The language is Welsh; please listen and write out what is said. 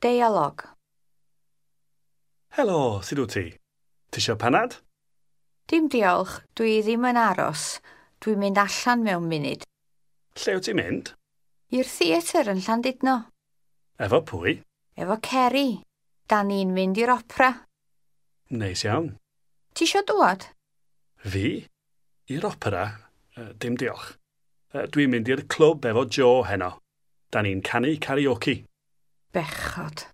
Deialog. Helo, sut wyt ti? Ti isio panad? Dim diolch, dwi ddim yn aros. Dwi'n mynd allan mewn munud. Lle wyt ti'n mynd? I'r theatr yn Llandudno. Efo pwy? Efo Ceri. Da ni'n mynd i'r opera. Neis iawn. Ti isio dŵad? Fi? I'r opera? Dim diolch. Dwi'n mynd i'r clwb efo Joe heno. Da ni'n canu karaoke. Bechod.